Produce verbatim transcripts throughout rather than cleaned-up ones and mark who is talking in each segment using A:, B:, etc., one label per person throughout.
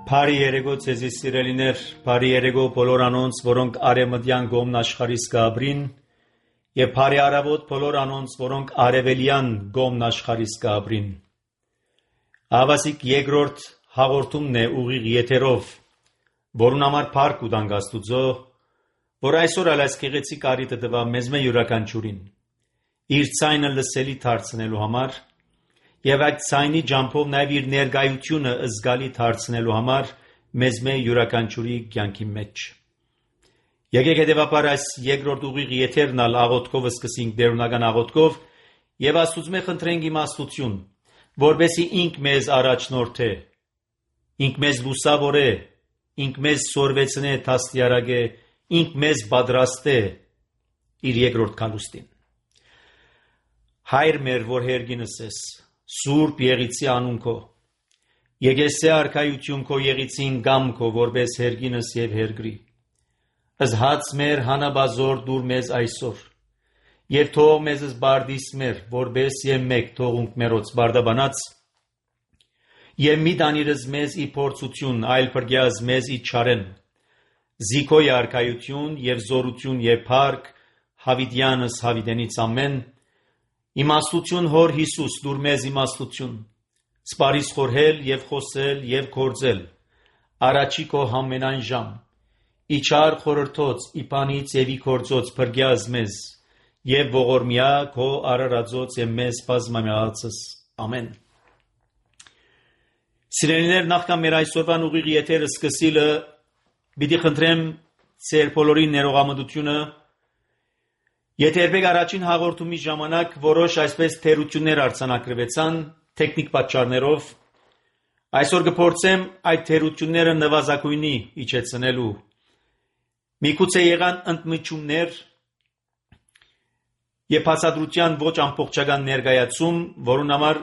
A: Բարի երեկո ցեզի սիրելիներ, բարի երեկո բոլոր անոնց, որոնք արևմտյան կողմն աշխարհից կաբրին, եւ բարի արավոտ բոլոր անոնց, որոնք արևելյան կողմն աշխարհից կաբրին։ Ավասիկ երկրորդ հաղորդումն է ուղիղ եթերով, որուն համար փառք ուտանք Աստուծո, որ այսօր ալած գեղեցիկ արիտը տվա մեզ մե յուրաքանչյուրին իր ցայնը լսելի դարձնելու համար եւ այդ ցայնի ջամփով նաեւ իր ներկայությունը զգալի դարձնելու համար մեզ մե յուրաքանչյուրի կյանքի մեջ։ Եկեք հետեւաբար այս երկրորդ ուղիղ եթերն ալ աղոթքով սկսենք դերունական աղոթքով եւ Աստծո խնդրենք իմաստություն, որբեսի ինք մեզ առաջնորդե, ինք մեզ լուսավորե, ինք մեզ սորվեցնե տաստիարակե, ինք մեզ պատրաստե իր երկրորդ քալուստին։ Հայր մեր, որ հերգինս ես, Սուրբ եղիցի անուն քո, եկեսե արքայություն քո եղիցին գամ քո, որպես հերգինս եւ հերգրի, ըզհաց մեր հանաբազոր դուր մեզ այսօր, եւ թող մեզ զբարդիս մեր, որպես եւ մեկ թողունք մերոց բարդաբանած, եւ մի դանիրս մեզ ի փորձություն, այլ փրկյազ մեզ ի չարեն, զիքոյ արքայություն եւ զորություն եւ փառք, հավիտյանս հավիտենից ամեն, իմաստություն հոր Հիսուս դուր մեզ իմաստություն, սպարիս խորհել եւ խոսել եւ կործել, առաջի քո համենայն ժամ, իչար խորհրդոց, իպանից եւ ի կործոց փրկյազ մեզ, եւ ողորմյա քո արարածոց եւ մեզ բազմամյացս, ամեն։ Սիրելիներ, նախքան մեր այսօրվան ուղիղ եթերը սկսելը, պիտի խնդրեմ ձեր բոլորի ներողամտությունը, եթե երբեք առաջին հաղորդումի ժամանակ որոշ այսպես թերություններ արձանագրվեցան տեխնիկ պատճառներով, այսօր կփորձեմ այդ թերությունները նվազագույնի իջեցնելու։ Միգուցե եղան ընդմիջումներ եւ բացատրության ոչ ամբողջական ներկայացում, որուն համար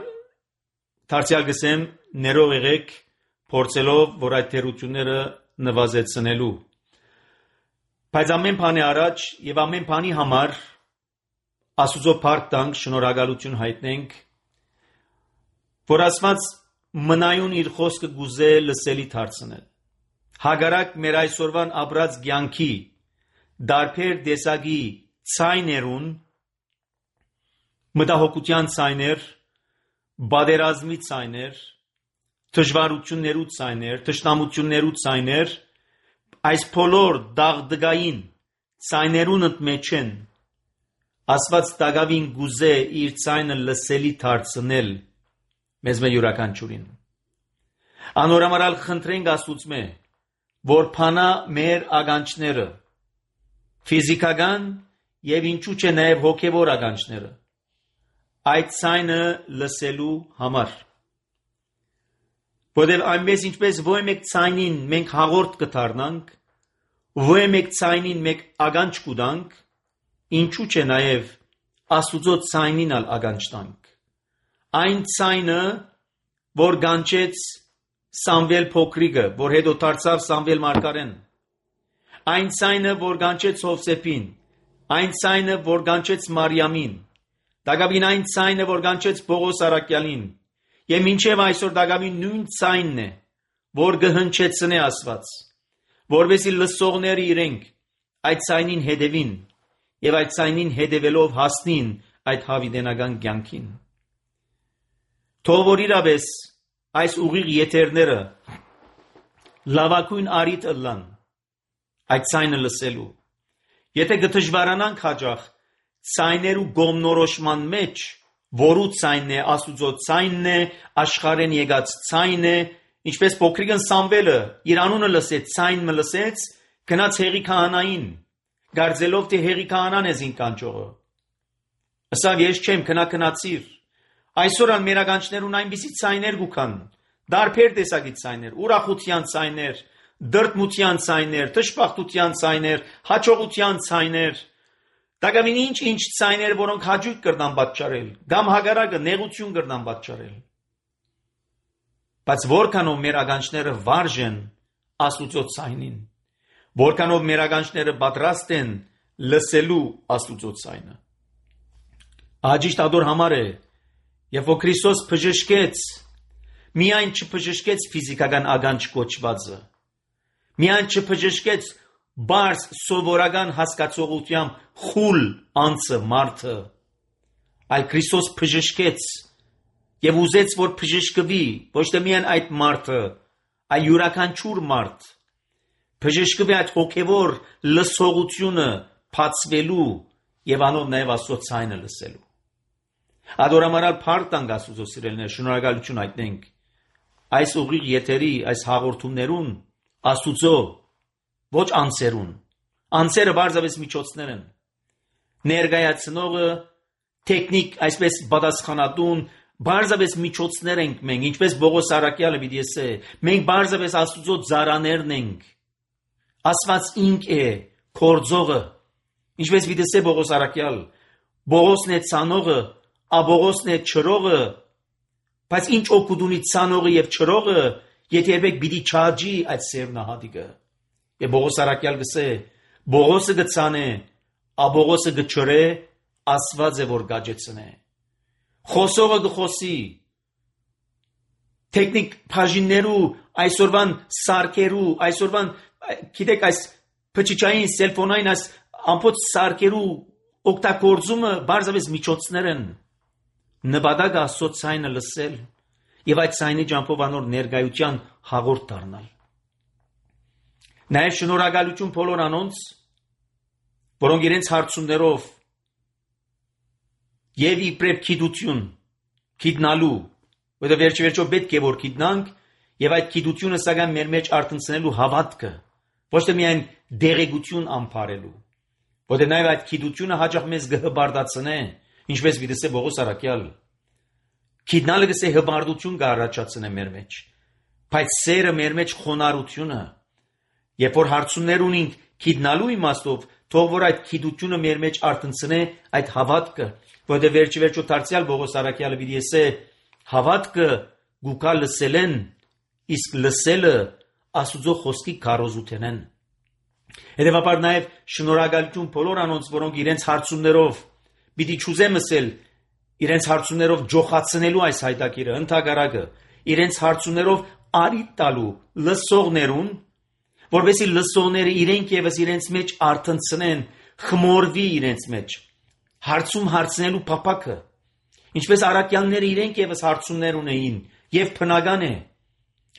A: դարձյալ գսեմ ներող եղեք, փորձելով, որ այդ թերությունները նվազեցնելու։ Բայց ամեն բանի առաջ եւ ամեն բանի համար Աստուծո փառք տանք, շնորհակալություն հայտնենք, որ Աստված մնայուն իր խոսքը գուզե լսելի դարձնել։ Հակառակ մեր այսօրվան ապրած կյանքի դարբեր տեսակի ցայներուն, մտահոգության ցայներ, բادرազմի ցայներ, դժվարություններու ցայներ, թշնամություններու ցայներ, այս բոլոր դաղդգային ցայներուն մեջ են Աստված տագավին գուզե իր ցայնը լսելի դարձնել մեզ մե յուրաքանչյուրին։ Անորամարալ խնդրենք Աստուծմե, որ փանա մեր ականջները, ֆիզիկական եւ ինչու՞ չէ նաեւ հոգեվոր ականջները, այդ ցայնը լսելու համար։ Որտեւ այնպես ինչպես ոչ մեկ ցայնին մենք հաղորդ կդառնանք, ոչ մեկ ցայնին մենք ականջ կուտանք, ինչու՞ չէ նաեւ Աստուծո ցայնին ալ ականջ տանք։ Այն ցայնը, որ գանչեց Սամվել փոքրիկը, որ հետո դարձավ Սամվել մարգարեն, այն ցայնը, որ գանչեց Հովսեփին, այն ցայնը, որ գանչեց Մարիամին, դակավին այն ցայնը, որ գանչեց Պողոս Արաքյալին, եւ մինչեւ այսօր դակավին նույն ցայնն է, որ կհնչեցնե Աստված, որովհետեւ լսողները իրենք այդ ցայնին հետևին եւ այդ ցայնին հետևելով հասնին այդ հավիտենական կյանքին։ Թող որ իրավես այս ուղիղ եթերները լավագույն արիթ ըլլան այդ ցայնը լսելու։ Եթե կդժվարանանք հաջող ցայներու գոմնորոշման մեջ, որու ցայնն է, Աստուծո ցայնն է, աշխարհեն եկած ցայն է, ինչպես փոքրիկն Սամվելը իր անունը լսեց, ցայն մը լսեց, գնաց հեղի քահանային, գարձելով թե հեղի քահանան է զին կանչողը։ Ասավ ես չեմ, քնա քնացիր։ Այսօր ան մեր ականջներուն այնպիսի ցայներ գուքան, դարբեր տեսակի ցայներ, ուրախության ցայներ, դրդմության ցայներ, դժբախտության ցայներ, հաջողության ցայներ, դակամին ինչ-ինչ ցայներ, որոնք հաջույք կրնան պատճառել, կամ հագարակը նեղություն կրնան պատճառել։ Բայց որքանով մեր ականջները վարժ են Աստուծո ցայնին, որքանով մեր ականջները պատրաստ են լսելու Աստուծո ցայնը։ Աջիշտ ադոր համար է, երբ որ Քրիստոս բժշկեց միայն չբժշկեց ֆիզիկական ականջ կոչվածը, միայն չբժշկեց բարձ սովորական հասկացողությամբ խուլ անձը մարդը, այլ Քրիստոս բժշկեց եւ ուզեց, որ բժշկվի ոչ թե միայն այդ մարդը, այլ յուրաքանչյուր մարդ բժշկվի այդ հոգևոր լսողությունը բացվելու եւ անով նաեւ Աստծո ցայնը լսելու։ Ադորամարալ փառք Աստծո սիրելիներ, շնորհակալություն հայտնենք այս ուղիղ եթերի, այս հաղորդումներուն Աստուծո, ոչ անձերուն, անձերը բարձրապես միջոցներ են, ներկայացնողը տեխնիկ, այսպես պատասխանատուն, բարձրապես միջոցներ ենք մենք, ինչպես Բողոս Արաքյալը պիտի ասե, մենք բարձրապես Աստուծո ծառաներն ենք, Աստված ինք է կորձողը, ինչպես պիտի ասե Բողոս Արաքյալ, Բողոսն է ցանողը, Աբողոսն է չրողը, բայց ինչ օգուտ ունի ցանողը եւ չրողը, եթե երբեք պիտի չաճի այդ սերնահատիկը։ Եվ Բողոս Արաքյալ գսե, Բողոսը գցանե, Աբողոսը գչրե, Աստված է որ գաճեցնե։ Խոսողը գխոսի, տեխնիկ բաժիններու, այսօրվան սարքերու, այսօրվան, գիտեք, այս փչիչային, սելֆոնային, այս ամբողջ սարքերու օգտագործումը բարձրապես միջոցներ են։ Նպատակը Աստծո ցայնը լսել եւ այդ ցայնի ջանքով անոր ներկայության հաղորդ դառնալ։ Նաեւ շնորհակալություն բոլոր անոնց, որոնք իրենց հարցումներով եւ իբրև գիտություն գիտնալու, որը վերջի վերջո պետք է որ գիտնանք եւ այդ գիտությունը սակայն մեր մեջ արտնցնելու հավատքը, ոչ թե միայն դեղեցություն ամփարելու, որը նաեւ այդ գիտությունը հաճախ մեզ կհբարդացնե, ինչպես վիդեսե Բողոս Արաքյալ, գիտնալը գսե հբարդություն կառաջացնե մեր մեջ, բայց սերը մեր մեջ խոնարհությունը, երբ որ հարցումներ ունենք գիտնալու իմաստով, թող որ այդ գիտությունը մեր մեջ արտնցնե այդ հավատքը, որը վերջի վերջո դարձյալ Բողոս Արաքյալը պիտի ասե, հավատքը գուկա լսելեն, իսկ լսելը Աստուծո խոսքի քարոզութենեն։ Հետևաբար նաև շնորհակալություն բոլոր անոնց, որոնք իրենց հարցումներով պիտի չուզեմ ասել, իրենց հարցումներով ջոխացնելու այս հայտակիրը, ընդհակառակը, իրենց հարցումներով արիտ տալու լսողներուն, որովհետեւ լսողները իրենք եւս իրենց մեջ արտնցնեն, խմորվի իրենց մեջ, հարցում հարցնելու փափակը, ինչպես Արաքյալները իրենք եւս հարցումներ ունեին, եւ բնական է,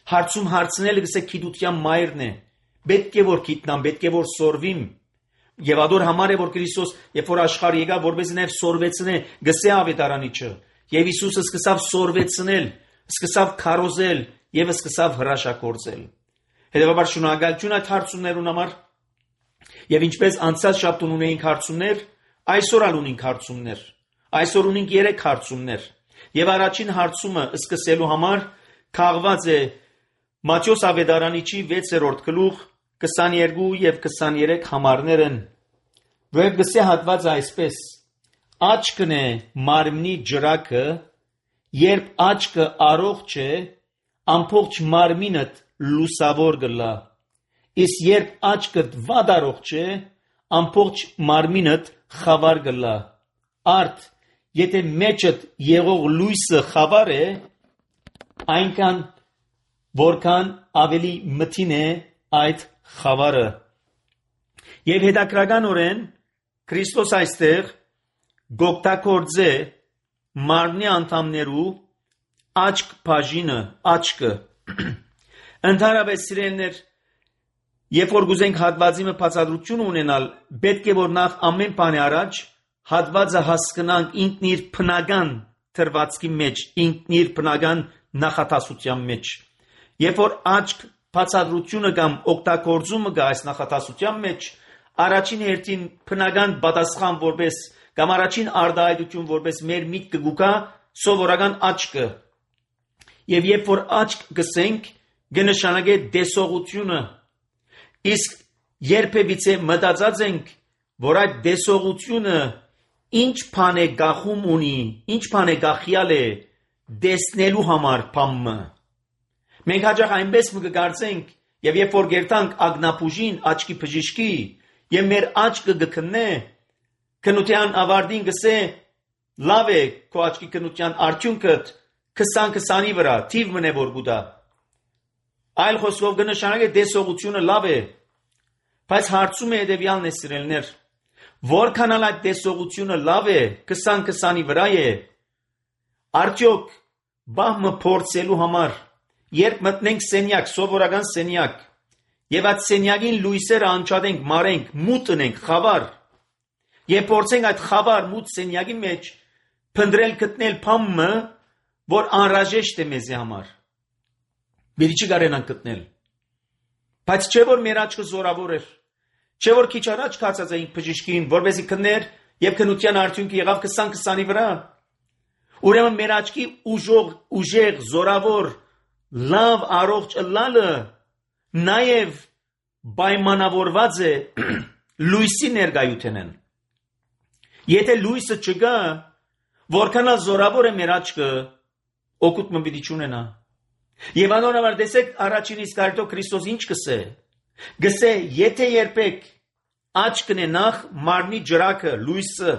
A: հարցում հարցնելը գսե գիտության մայրն է, պետք է որ գիտնամ, պետք է որ սորվիմ, եւ ադոր համար է որ Քրիստոս, երբ որ աշխարհ եկավ, որպես նաեւ սորվեցնե, գսե ավետարանիչը, եւ Հիսուսը սկսավ սորվեցնել, սկսավ քարոզել եւ սկսավ հրաշագործել։ Հետևաբար շնորհակալություն այդ հարցումներուն համար, եւ ինչպես անցած շաբթուն ունեինք հարցումներ, այսօր ալ ունենք հարցումներ, այսօր ունենք երեք հարցումներ, եւ առաջին հարցումը սկսելու համար քաղված է Մատթեոս ավետարանիչի վեցերորդ գլուխ քսաներկու եւ քսաներեք համարներ են, որ գսե հատված այսպես. աչքն է մարմնի ջրակը, երբ աչքը առողջ է, ամբողջ մարմինդ լուսավոր գլա, իսկ երբ աչքդ վատ առողջ է, ամբողջ մարմինդ խավար գլա։ Արդ, եթե մեջդ եղող լույսը խավար է, այնքան որքան ավելի մթին է այդ խավարը։ Եվ հետաքրքրականորեն Քրիստոս այստեղ գոկտակորձե մարմնի անդամներու աչք բաժինը, աչքը։ Ընդհանրապես սիրելիներ, երբ որ գուզենք հատվածի մը բացատրություն ունենալ, պետք է որ նախ ամեն բանի առաջ հատվածը հասկանանք ինքն իր բնական թրվածքի մեջ, ինքն իր բնական նախատասության մեջ։ Երբ որ աչք բացատրությունը կամ օգտագործումը գա այս նախատասության մեջ, առաջին հերթին բնական պատասխան որպես կամ առաջին արտահայտություն որպես մեր միտքը գուկա սովորական աչքը։ Եվ երբ որ աչք գսենք, կնշանակե տեսողությունը, իսկ երբևիցե մտածած ենք, որ այդ տեսողությունը ինչ բան է գախում ունի, ինչ բան է գախյալ է տեսնելու համար բամը։ Մենք հաճախ այնպես կգործենք, եւ երբ որ գերտանք ագնապուժին աչքի բժիշկի, եւ մեր աչքը գքննե, քնության ավարտին գսե, լավ է քո աչքի քնության արդյունքը, քսան քսանի վրա թիվ մնե որ գուտա։ Այլ խոսքով կնշանակի տեսողությունը լավ է, բայց հարցում է հետևյալն է սիրելիներ, որքան այդ տեսողությունը լավ է, քսան քսանի վրա է, արդյոք բահմը փորձելու համար, երբ մտնենք սենյակ, սովորական սենյակ, եւ այդ սենյակին լույսերը անջատենք, մարենք, մութ ընենք, խավար, եւ փորձենք այդ խավար մութ սենյակի մեջ փնտրել գտնել բամը, որ անհրաժեշտ է մեզի համար։ Բերի չկարենանք գտնել։ Բայց չէ որ մեր աչքը զորավոր էր, չէ որ քիչ առաջ կացած էինք բժիշկին, որպեսզի քններ եւ քնության արդյունքը եղավ քսան քսանի վրա։ Ուրեմն մեր աչքի ուժող, ուժեղ, զորավոր, լավ, առողջ ըլլալը նաեւ պայմանավորված է լույսի ներկայութենեն։ Եթե լույսը չկա, որքան զորավոր է մեր աչքը, օգուտ մը պիտի չունենա։ Եվ անոնավոր տեսեք առաջին իսկ արդյո Քրիստոս ինչ կսե։ Գսե եթե երբեք աչքն է նախ մարմնի ջրակը, լույսը,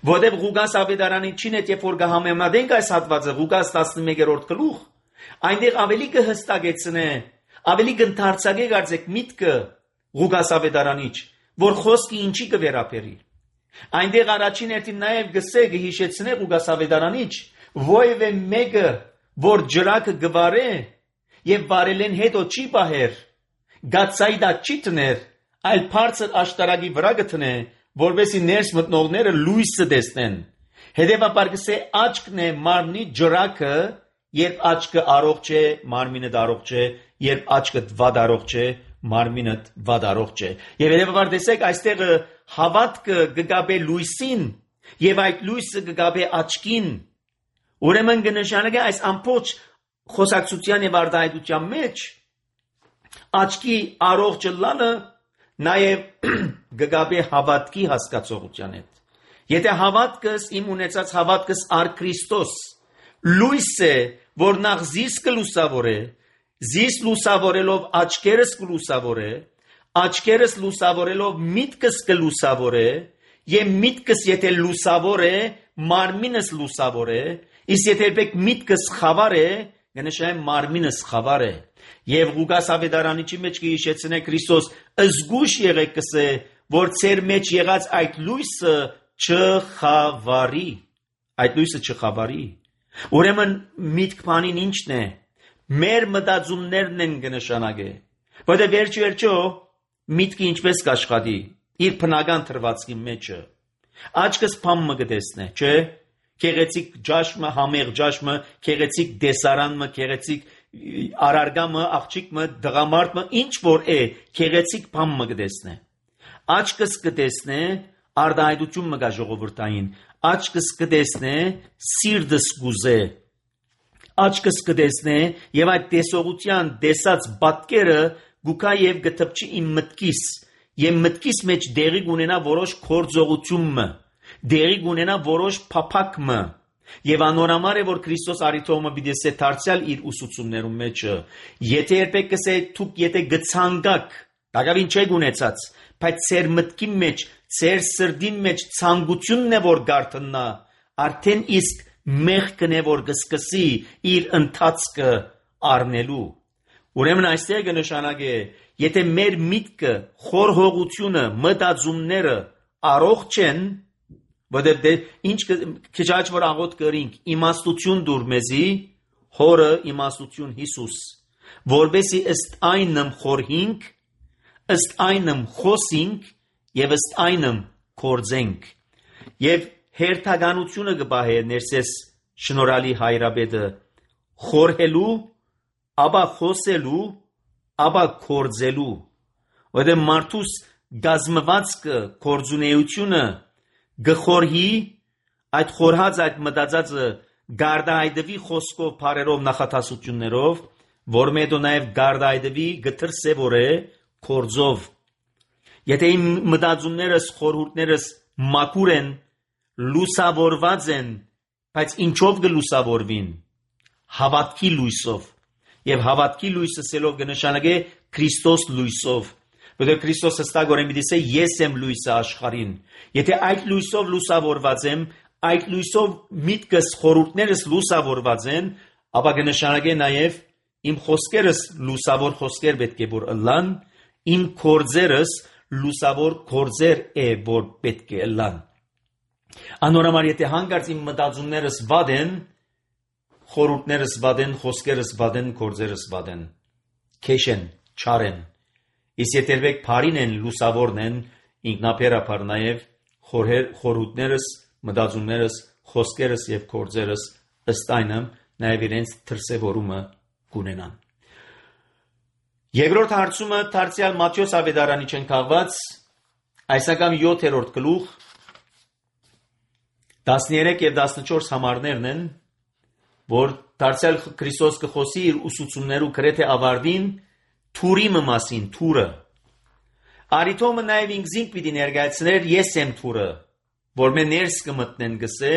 A: որտեղ Ղուկաս ավետարանի չին հետ երբ որ կհամեմատենք այս հատվածը Ղուկաս տասնմեկերորդ գլուխ, այնտեղ ավելի կհստակեցնե, ավելի կընդարձակե կարծեք միտքը Ղուկաս ավետարանիչ, որ խոսքը ինչի կվերապերի։ Այնտեղ առաջին հերթին նաև գսե կհիշեցնե Ղուկաս ավետարանիչ, ովևէ մեկը որ ջրակը գվարե եւ վարելեն հետո չի բահեր, գացայդա չի տներ, այլ բարձր աշտարակի վրա գտնե, որովհետեւ ներս մտնողները լույսը տեսնեն։ Հետևաբար գսե աչքն է մարմնի ջրակը, երբ աչքը առողջ է, մարմինը առողջ է, երբ աչքը վատ առողջ է, մարմինը վատ առողջ է։ Եվ հետևաբար տեսեք այստեղ հավատքը կգաբե լույսին եւ այդ լույսը կգաբե աչքին։ Ուրեմն կնշանակի այս ամբողջ խոսակցության եւ արտահայտության մեջ աչքի առողջ ըլլալը նաեւ կգաբե հավատքի հասկացողության հետ։ Եթե հավատքս իմ ունեցած հավատքս առ Քրիստոս լույս է, որ նախ զիս կլուսավորե, զիս լուսավորելով աչքերս կլուսավորե, աչքերս լուսավորելով միտքս կլուսավորե, եւ միտքս եթե լուսավոր է, մարմինս լուսավոր է, իսկ եթե երբեք միտքս խավար է, կնշանակի մարմինս խավար է։ Եվ Ղուկաս ավետարանիչի մեջ կհիշեցնե Քրիստոս զգուշ եղեք կսե, որ ձեր մեջ եղած այդ լույսը չխավարի, այդ լույսը չխավարի։ Ուրեմն միտք բանին ինչն է, մեր մտածումներն են կնշանակի, որտեղ վերջ վերջո միտքը ինչպես կաշխատի իր բնական թրվածքի մեջը։ Աչքս բամը կտեսնե, չէ՞։ Քեղեցիկ ջաշմը, համեղ ջաշմը, քեղեցիկ դեսարանմը, քեղեցիկ արարգամը, աղջիկը, դղամարդը, ինչ որ է, քեղեցիկ բամը կտեսնե։ Աչքս կտեսնե արտահայտություն մգա ժողովրդային, աչքս կտեսնե սիրտս գուզե, աչքս կտեսնե եւ այդ տեսողության տեսած պատկերը գուկա եւ գտպչի իմ մտքիս, եւ մտքիս մեջ դերի գունենա որոշ կորձողությունը, դերի գունենա որոշ փափակը, եւ անորամար է որ Քրիստոս արիթոմը բիդեսե դարձյալ իր ուսուցումներում մեջը, եթե երբեք կսե դուք եթե գցանգակ, դակավին չէ գունեցած, բայց ծեր մտքի մեջ, ծեր սրդին մեջ ցանկությունն է որ գարտնա, արդեն իսկ մեղքն է որ գսկսի իր ընթացքը առնելու։ Ուրեմն այստեղ կնշանակի, եթե մեր միտքը, խորհողությունը, մտածումները առողջ են, որտեղ ինչ քիչ աճ որ աղոտ կրինք, իմաստություն դուր մեզի, հորը իմաստություն Հիսուս, որբեսի ըստ այնմ խորհինք, ըստ այնմ խոսինք եւ ըստ այնմ կործենք։ Եվ հերթականությունը կբահե ներսես շնորհալի հայրաբեդը խորհելու, ապա խոսելու, ապա կործելու։ Որտեղ մարդուս գազմվածքը, կործունեությունը գխորհի, այդ խորհած այդ մտածածը գարդայդվի խոսքով, բարերով, նախատասություններով, որ մետո նաև գարդայդվի գտրսևորե կործով։ Եթե իմ մտածումներս, խորհուրդներս մաքուր են, լուսավորված են, բայց ինչով կլուսավորվին, հավատքի լույսով, եւ հավատքի լույսը սելով կնշանակե Քրիստոս լույսով, որտեղ Քրիստոս հստակ օրեն պիտի ասե ես եմ լույսը աշխարհին, եթե այդ լույսով լուսավորված եմ, այդ լույսով միտքս խորհուրդներս լուսավորված են, ապա կնշանակե նաև իմ խոսքերս լուսավոր խոսքեր պետք է որ ըլլան, իմ գործերս լուսավոր գործեր է որ պետք է ըլլան։ Անորոմար եթե հանկարծ իմ մտածումներս վատ են, խորհուրդներս վատ են, խոսքերս վատ են, գործերս վատ են, քեշ են, չար են։ Իսկ եթե երբեք բարին են, լուսավորն են, ինքնաբերաբար նաև խորհուրդներս, մտածումներս, խոսքերս եւ գործերս ըստ այնը նաև իրենց դրսևորումը կունենան։ Երկրորդ հարցումը դարձյալ Մատթեոս ավետարանի չեն քաղված այսական յոթերորդ գլուխ տասներեք եւ տասնչորս համարներն են, որ դարձյալ Քրիստոս կխոսի իր ուսուցումներու գրեթե ավարտին թուրի մասին, թուրը։ Արիթոմը նաև ինքզինք պիտի ներկայացներ ես եմ թուրը, որ մե ներս կմտնեն գսե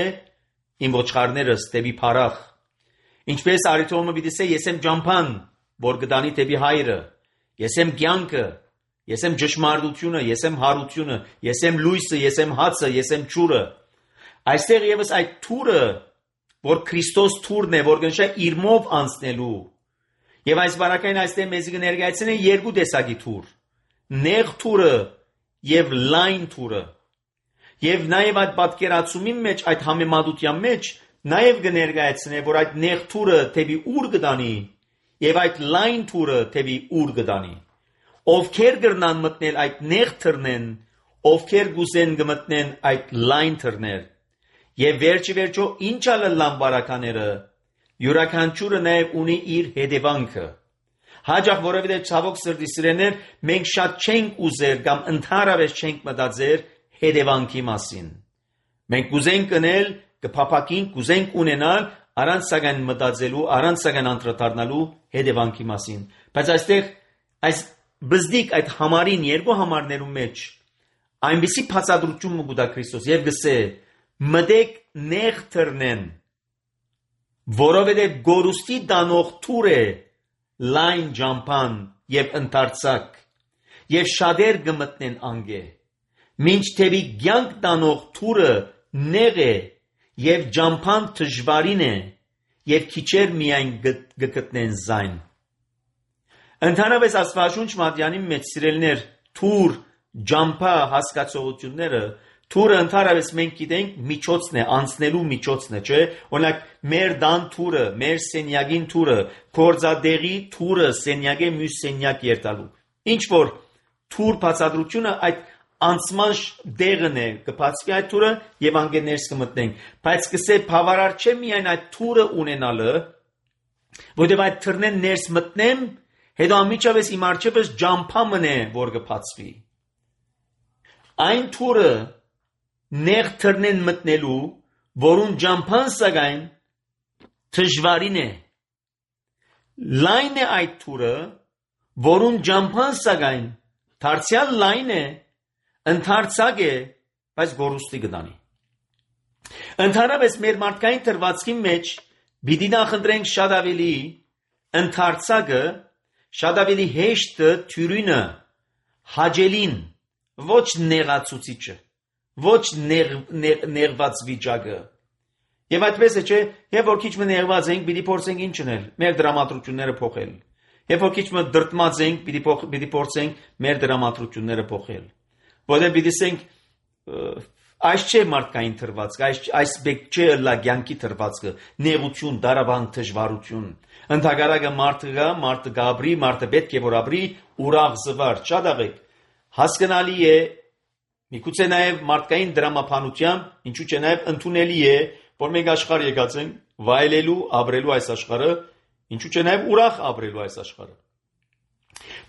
A: իմ ոչխարներս դեպի փարախ։ Ինչպես Արիթոմը պիտի սե ես եմ ջամփան, որ գտանի դեպի հայրը, ես եմ կյանքը, ես եմ ճշմարտությունը, ես եմ հարությունը, ես եմ լույսը, ես եմ հացը, ես եմ ջուրը։ Այստեղ եւս այդ թուրը, որ Քրիստոս թուրն է, որ գնշա իր մով անցնելու։ Եվ այս բարակային այստեղ մեզ կներկայացնեն երկու տեսակի թուր. նեղ թուրը եւ լայն թուրը։ Եվ նաեւ այդ պատկերացումի մեջ, այդ համեմատության մեջ նաեւ կներկայացնե, որ այդ նեղ թուրը թեպի ուր կդանի եւ այդ լայն թուրը թեպի ուր կդանի։ Ովքեր կրնան մտնել այդ նեղ թրնեն, ովքեր գուսեն կմտնեն այդ լայն թրներ։ Եվ վերջի վերջո ինչա լան բարակաները, յուրաքանչյուրը նաև ունի իր հետևանքը։ Հաջող որովհետև ցավոք սրտի սիրեներ, մենք շատ չենք ուզեր կամ ընդհանրապես չենք մտածեր հետևանքի մասին։ Մենք կուզենք կնել, կփափակենք, կուզենք ունենալ առանց սակայն մտածելու, առանց սակայն անդրադառնալու հետևանքի մասին։ Բայց այստեղ այս բզդիկ այդ համարին երկու համարներու մեջ այնպիսի բացատրություն մուտա Քրիստոս եւ գսե մտեք նեղ թրնեն, որովհետև գորուստի դանող թուր է լայն ջամփան եւ ընդարձակ եւ շատեր կմտնեն անգե, մինչ թեպի կյանք տանող թուրը նեղ է եւ ջամփան դժվարին է եւ քիչեր միայն կգտնեն զայն։ Ընդհանրապես Աստվածաշունչ Մատթեանի մեջ սիրելիներ թուր ջամփա հասկացողությունները թուրը ընդհանրապես մենք գիտենք միջոցն է, անցնելու միջոցն է, չէ՞։ Օրինակ մեր դան թուրը, մեր սենյակին թուրը, կորձադեղի թուրը սենյակի մյուս սենյակ երթալու։ Ինչ որ թուր բացատրությունը այդ անցման դեղն է, կբացվի այդ թուրը եւ անգերներս կմտնենք։ Բայց կսե բավարար չէ միայն այդ թուրը ունենալը, որտեղ այդ թրնեն ներս մտնեմ, հետո ամիջապես իմ արջևս ջամփա մնե, որ կբացվի։ Այն թուրը նեղ թրնեն մտնելու, որուն ջամփան սակայն դժվարին է։ Լայն է այդ թուրը, որուն ջամփան սակայն դարձյալ լայն է, ընդարձակ է, բայց գորուստի կդանի։ Ընդհանրապես մեր մարդկային թրվածքի մեջ պիտի նախընտրենք շատ ավելի ընդարձակը, շատ ավելի հեշտը թյուրինը, հաճելին, ոչ նեղացուցիչը, ոչ նեղված վիճակը։ Եվ այդպես է, չէ, երբ որ քիչ մը նեղված ենք, պիտի փորձենք ինչ անել, մեր դրամատրությունները փոխել։ Երբ որ քիչ մը դրտմած ենք, պիտի փորձենք մեր դրամատրությունները փոխել։ Որտեղ պիտի ասենք, այս չէ մարդկային թրվածքը, այս այս բեք չէ լա կյանքի թրվածքը, նեղություն, դարաբանք, դժվարություն։ Ընդհակառակը մարդը գա, մարդը գաբրի, մարդը պետք է որ ապրի ուրախ զվար, շատ աղեք։ Հասկանալի է, միգուցե նաև մարդկային դրամապանությամբ, ինչու՞ չէ նաև ընդունելի է, որ մենք աշխարհ եկած ենք վայելելու, ապրելու այս աշխարհը, ինչու՞ չէ նաև ուրախ ապրելու այս աշխարհը։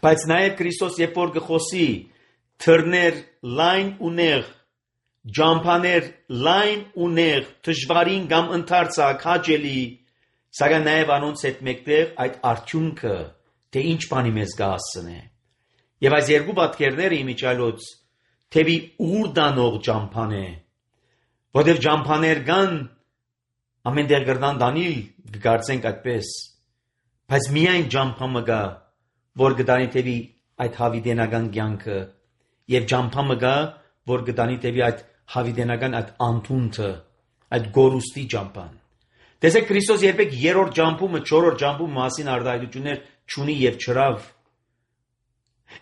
A: Բայց նաև Քրիստոս երբ որ գխոսի թրներ լայն ու նեղ, ջամփաներ լայն ու նեղ, դժվարին կամ ընդարձակ, հաճելի, սակայն նաև անոնց հետ մեկտեղ այդ արդյունքը, թե ինչ բանի մեզ կհասցնե։ Եվ այս երկու պատկերները իմիջիալոց թեպի ուր դանող ջամփան է, որտեղ ջամփաներ կան ամեն տեղ գրնան դանիլ, կգարցենք այդպես, բայց միայն ջամփամը կա, որ կդանի թեպի այդ հավիտենական կյանքը, եւ ջամփամը կա, որ կդանի թեպի այդ հավիտենական այդ անտունքը, այդ գորուստի ճամփան։ Տեսեք, Քրիստոս երբեք երրորդ ճամփումը, չորրորդ ճամփում մասին արտահայտություններ չունի եւ չրավ։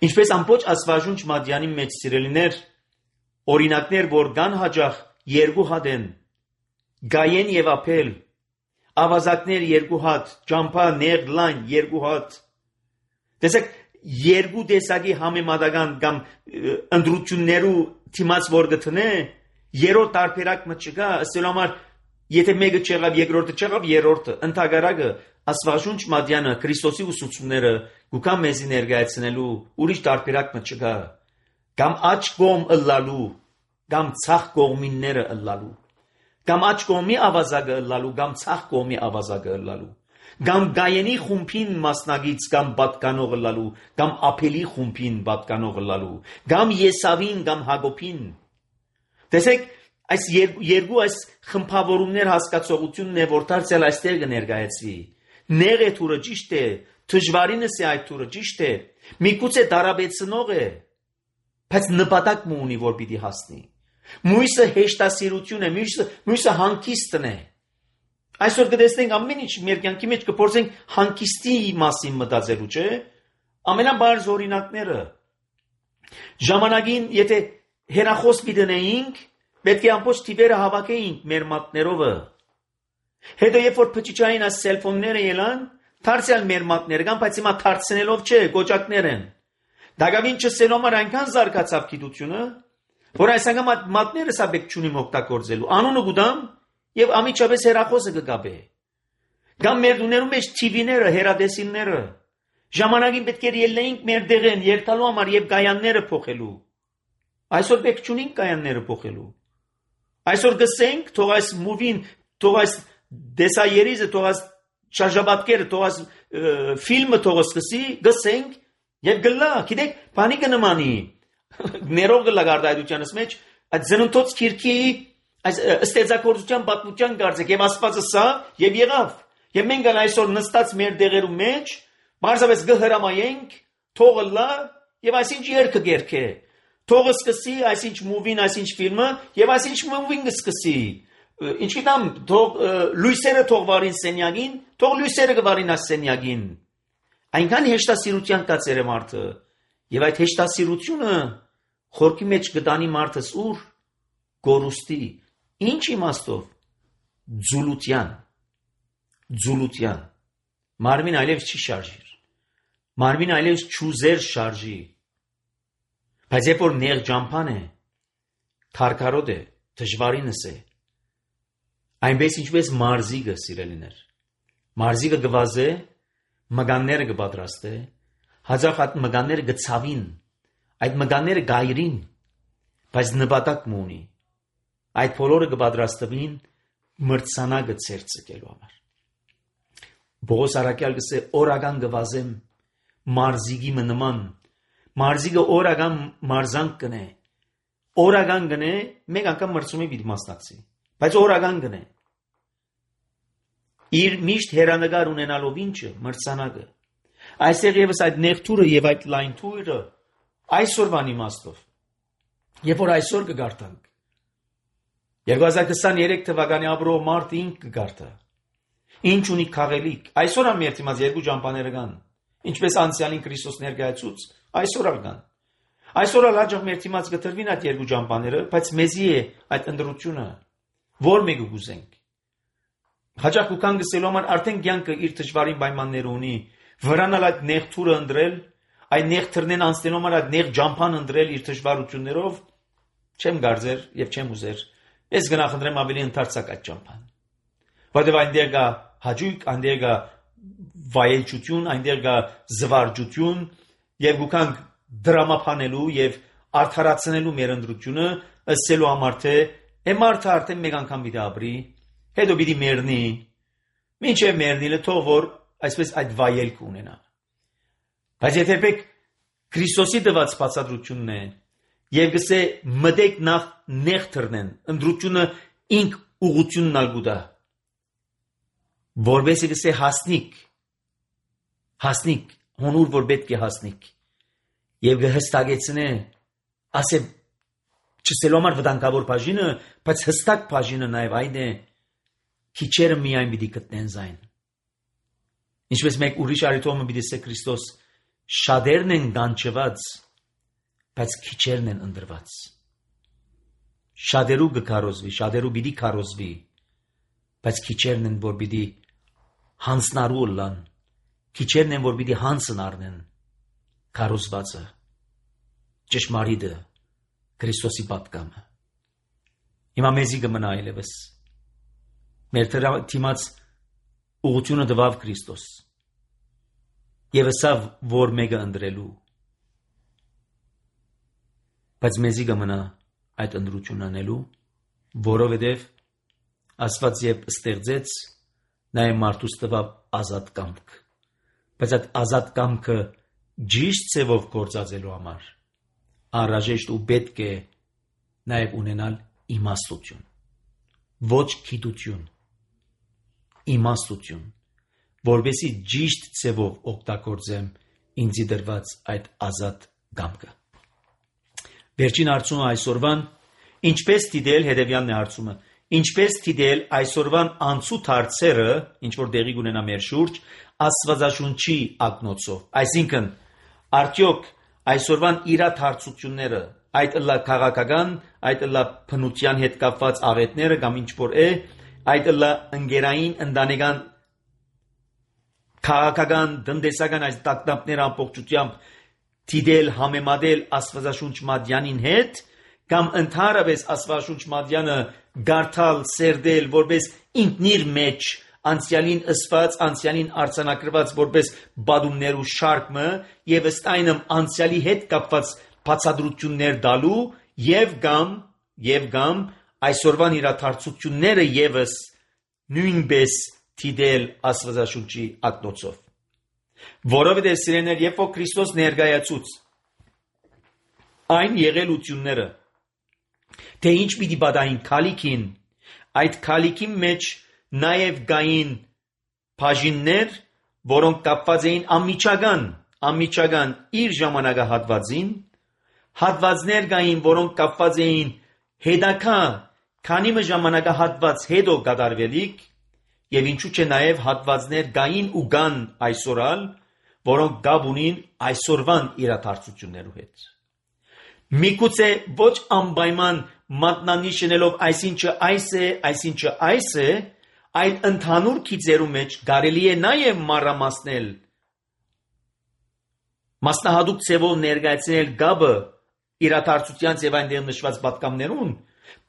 A: Ինչպես ամբողջ Աստվածաշունչ Մատթեանի մեջ սիրելիներ, օրինակներ, որ կան հաջող երկու հատ են, Գայեն եւ Աբել, ավազակներ երկու հատ, ճամփա նեղ լայն երկու հատ։ Տեսեք, երկու տեսակի համեմատական կամ ընդրություններու թիմած որ գտնե, երրորդ տարբերակ մը չկա, ըստ համար եթե մեկը չեղավ, երկրորդը չեղավ, երրորդը ընդհանրակը Աստվածաշունչ Մատթեանը Քրիստոսի ուսուցումները գուքա մեզի ներկայացնելու ուրիշ տարբերակ մը չկա, կամ աջ կողմ ըլլալու, կամ ցախ կողմինները ըլլալու, կամ աջ կողմի ավազակը ըլլալու, կամ ցախ կողմի ավազակը ըլլալու, կամ Գայենի խումբին մասնագից կամ պատկանող ըլլալու, կամ Աբելի խումբին պատկանող ըլլալու, կամ Եսավին կամ Հակոբին։ Տեսեք, այս երկու այս խմբավորումներ հասկացողությունն է, որ դարձյալ այստեղ կներկայացվի։ Նեղ է թուրը ճիշտ է, դժվարինս է այդ թուրը ճիշտ է, միգուցե դարաբեցնող է, բայց նպատակ ունի, որ պիտի հասնի։ Մույսը հեշտասիրություն է, մույսը, մույսը հանգիստն է։ Այսօր կտեսնենք ամեն ինչ մեր կյանքի մեջ կփորձենք հանգիստի մասին մտածելու, չէ՞։ Ամենաբարձ օրինակները։ Ժամանակին, եթե հեռախոս դնեինք, պետք է ամբողջ թիվերը հավաքեինք մեր մատներովը։ Հետո երբ որ փչիչային այս սելֆոնները ելան, դարձյալ մեր մատները կան, բայց հիմա դարձնելով չէ, գոճակներ են։ Դակավին չսելու համար այնքան զարգացավ գիտությունը, որ այս անգամ մատները սա բեք չունի օգտագործելու։ Անունը գուտամ եւ ամիջապես հեռախոսը կգաբե։ Կամ մեր դուներում մեջ թիվիները, հեռադեսիլները։ Ժամանակին պետք է ելնեինք մեր դեղեն երթալու համար եւ կայանները փոխելու։ Այսօր պետք չունենք կայանները փոխելու։ Այսօր գսենք, թող այս մուվին, թող այս դեսայերիզը, թող այս շարժաբատկերը, թող այս ֆիլմը թող սկսի, գսենք եւ գլա, գիտեք, բանի կնմանի։ Ներող գլա գարդայդությանս մեջ, այդ զնունթոց քիրքի, այս ստեծակորձության պատմության գարձեք եւ Աստվածը սա եւ եղավ։ Եվ մենք ալ այսօր նստած մեր դեղերու մեջ, բարձրապես գհրամայենք, թողը լա եւ այսինչ երգը գերքե։ Թողը սկսի, այսինչ մուվին, այսինչ ֆիլմը եւ այսինչ մուվին կսկսի։ Ինչ գիտեմ, թող լույսերը թող վարին սենյակին, թող լույսերը կվարին այս սենյակին։ Այնքան հեշտասիրության կացեր է մարդը եւ այդ հեշտասիրությունը խորքի մեջ կտանի մարդս ուր գորուստի։ Ինչ իմաստով ձուլության ձուլության մարմին այլևս չի շարժիր, մարմին այլևս չուզեր շարժի, բայց երբ որ նեղ ճամփան է, քարքարոտ է, դժվարինս է, այնպես ինչպես մարզիկը սիրելիներ, մարզիկը գվազե, մգանները կպատրաստե, հաջող այդ մգանները գցավին, այդ մգանները գայրին, բայց նպատակ ունի, այդ բոլորը կպատրաստվին մրցանակը ցերծկելու համար։ Բողոս արաքյալ գսե օրական գվազեմ մարզիկի նման, մարզիկը օրական մարզանք կնե, օրական գնե, մեկ անգամ մրցումի պիտի մասնակցի, բայց օրական գնե։ Իր միշտ հերանեկար ունենալով ինչը մրցանակը։ Այստեղ եւս այդ նեղթուրը եւ այդ լայն թուրը այսօրվան իմաստով։ Երբ որ այսօր կգարտանք երկու հազար քսաներեք թվականի ապրող մարդ ինք կգարտա։ Ինչ ունի քաղելիք։ Այսօր ամ երթիմաց երկու ճամփաները կան։ Ինչպես անցյալին Քրիստոս ներկայացուց, այսօր ալ կան։ Այսօր ալ հաջող երթիմաց գտրվին այդ երկու ճամփաները, բայց մեզի է այդ ընդրությունը, որ մեկը գուզենք։ Հաջող կան գսելու համար արդեն կյանքը իր դժվարին պայմանները ունի, վրանալ այդ նեղթուրը ընդրել, այդ նեղթրնեն անցնելու համար այդ նեղ ճամփան ընդրել իր դժվարություններով, չեմ գարձեր եւ չեմ ուզեր։ Ես գնահատեմ ավելի ընդարձակ այդ ճամփան։ Որտեւ այնտեղ կա հաջույք, այնտեղ կա վայելչություն, այնտեղ կա զվարճություն եւ գուքանք դրամափանելու եւ արդարացնելու մեր ընդրությունը, ըսելու համար թե մարդը արդեն մեկ անգամ պիտի ապրի, հետո պիտի մեռնի, մինչեւ մեռնիլը թող որ այսպես այդ վայելք ունենա։ Բայց եթե եք Քրիստոսի տված բացատրությունն է եւ գսե մտեք նախ նեղ թռնեն, ընդրությունը ինք ուղությունն ալգուտա, որբեսի գսե հասնիկ, հասնիկ, հոնուր որ պետք է հասնիկ, եւ գհստագեցնե, ասե Չսելու համար վտանգավոր բաժինը, բայց հստակ բաժինը նաև այն է, քիչերը միայն պիտի գտնեն զայն։ Ինչպես մեկ ուրիշ արիթոմը պիտի ասե Քրիստոս, շատերն են գանչված, բայց քիչերն են ընտրված։ Շատերու կքարոզվի, շատերու պիտի քարոզվի, բայց քիչերն են, որ պիտի հանցնարու լան, քիչերն են, որ պիտի հանցն առնեն քարոզվածը, ճշմարիտը, Քրիստոսի պատկամը։ Հիմա մեզի կմնա այլևս մեր թիմած ուղղությունը տվավ Քրիստոս եւ ասավ, որ մեկը ընտրելու, բայց մեզի կմնա այդ ընտրությունն անելու, որովհետեւ Աստված երբ ստեղծեց, նա մարդուց տվավ ազատ կամք, բայց այդ ազատ կամքը ճիշտ ձևով գործածելու համար անհրաժեշտ ու պետք է նաև ունենալ իմաստություն, ոչ գիտություն, իմաստություն, որովհետեւ ճիշտ ձևով օգտագործեմ ինձի դրված այդ ազատ կամքը։ Վերջին հարցումը այսօրվան, ինչպես դիտել հետևյալն է հարցումը, ինչպես դիտել այսօրվան անցուտ հարցերը, ինչ որ տեղի կունենա մեր շուրջ, Աստվածաշունչի ակնոցով, այսինքն արդյոք այսօրվան իրադարձությունները, այդ ըլլա քաղաքական, այդ ըլլա բնության հետ կապված աղետները կամ ինչ որ է, այդ ըլլա ընկերային, ընտանեկան, քաղաքական, տնտեսական այս տագնապները ամբողջությամբ դիտել, համեմատել Աստվածաշունչ մատյանին հետ, կամ ընդհանրապես Աստվածաշունչ մատյանը գարթալ, սերդել, որպես ինքնիր մեջ անցյալին ըսված, անցյալին արձանագրված որպես բադումներու շարքը եւ ըստ այնմ անցյալի հետ կապված բացատրություններ տալու եւ կամ եւ կամ այսօրվան իրադարձությունները եւս նույնպես դիտել Աստվածաշունչի ակնոցով, որովհետեւ սիրեներ, երբ որ Քրիստոս ներկայացուց այն եղելությունները, թե ինչ պիտի պատահին քալիքին, այդ քալիքի մեջ նաև գային բաժիններ, որոնք կապված էին անմիջական, անմիջական իր ժամանակահատվածին, հատվածներ կային, որոնք կապված էին հետագա, քանի ժամանակահատված հետո կատարվելիք, եւ ինչու՞ չէ նաև հատվածներ կային ու կան այսօրալ, որոնք կապ ունին այսօրվան իրադարձություններու հետ։ Միգուցե ոչ անպայման մատնանիշելով այսինչը այս է, այսինչը այս է, այլ ընդհանուր գիծերու մեջ կարելի է նաև մանրամասնել, մասնահատուկ ձևով ներկայացնել գաբը իրադարձության եւ այնտեղ նշված պատկամներուն,